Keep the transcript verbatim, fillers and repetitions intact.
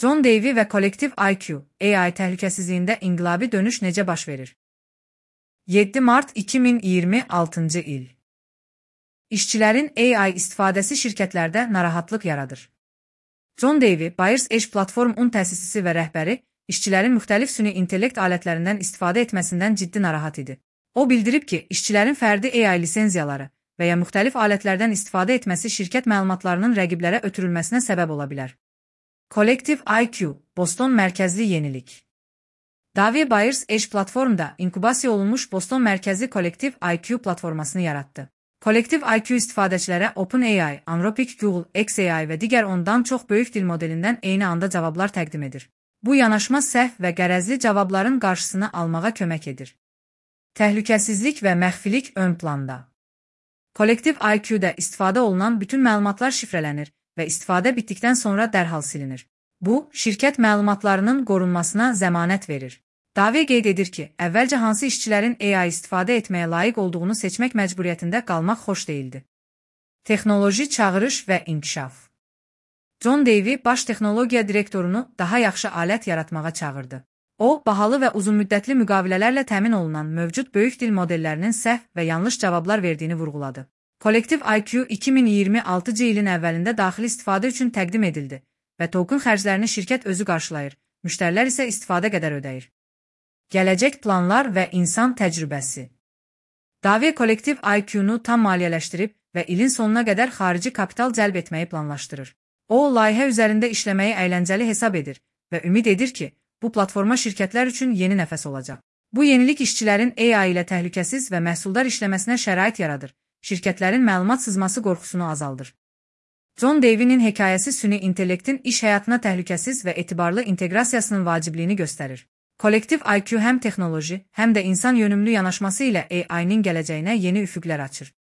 John Davey ve Kolektif I Q, A I təhlükəsizliyində inqilabi dönüş necə baş verir? yeddi mart iki min iyirmi altıncı il. İşçilərin A I istifadəsi şirkətlərdə narahatlıq yaradır. John Davey, Buyers Edge platformunun təsisçisi və rəhbəri, işçilərin müxtəlif süni intellekt alətlərindən istifadə etməsindən ciddi narahat idi. O bildirib ki, işçilərin fərdi A I lisenziyaları və ya müxtəlif alətlərdən istifadə etməsi şirkət məlumatlarının rəqiblərə ötürülməsinə səbəb ola bilər. Kolektiv I Q, Boston mərkəzli yenilik. Davey Buyers Edge platformda inkubasiya olunmuş Boston mərkəzli Kolektiv I Q platformasını yarattı. Kolektiv I Q istifadəçilərə OpenAI, Anthropic, Google, X A I və digər ondan çox böyük dil modelindən eyni anda cavablar təqdim edir. Bu yanaşma səhv və qərəzli cavabların qarşısını almağa kömək edir. Təhlükəsizlik və məxfilik ön planda. Kolektiv I Q'da istifadə olunan bütün məlumatlar şifrələnir və istifadə bitdikdən sonra dərhal silinir. Bu, şirkət məlumatlarının qorunmasına zəmanət verir. Davey qeyd edir ki, əvvəlcə hansı işçilərin A I istifadə etməyə layiq olduğunu seçmək məcburiyyətində qalmaq xoş deyildi. Texnoloji çağırış və inkişaf. John Davey, baş texnologiya direktorunu daha yaxşı alət yaratmağa çağırdı. O, bahalı və uzunmüddətli müqavilələrlə təmin olunan mövcud böyük dil modellərinin səhv və yanlış cavablar verdiyini vurğuladı. Kolektiv I Q iki min iyirmi altıncı ilin əvvəlində daxili istifadə üçün təqdim edildi və token xərclərini şirkət özü qarşılayır, müştərilər isə istifadə qədər ödəyir. Gələcək planlar və insan təcrübəsi. Davey Kolektiv I Q'nu tam maliyyələşdirib və ilin sonuna qədər xarici kapital cəlb etməyi planlaşdırır. O, layihə üzərində işləməyi əyləncəli hesab edir və ümid edir ki, bu platforma şirkətlər üçün yeni nəfəs olacaq. Bu yenilik işçilərin A I ilə təhlükəsiz və məhsuldar işləməsinə şərait yaradır, şirkətlərin məlumat sızması qorxusunu azaldır. John Davey'nin hekayəsi süni intellektin iş həyatına təhlükəsiz və etibarlı inteqrasiyasının vacibliyini göstərir. Kolektiv I Q həm texnoloji, həm də insan yönümlü yanaşması ilə A I-nin gələcəyinə yeni üfüqlər açır.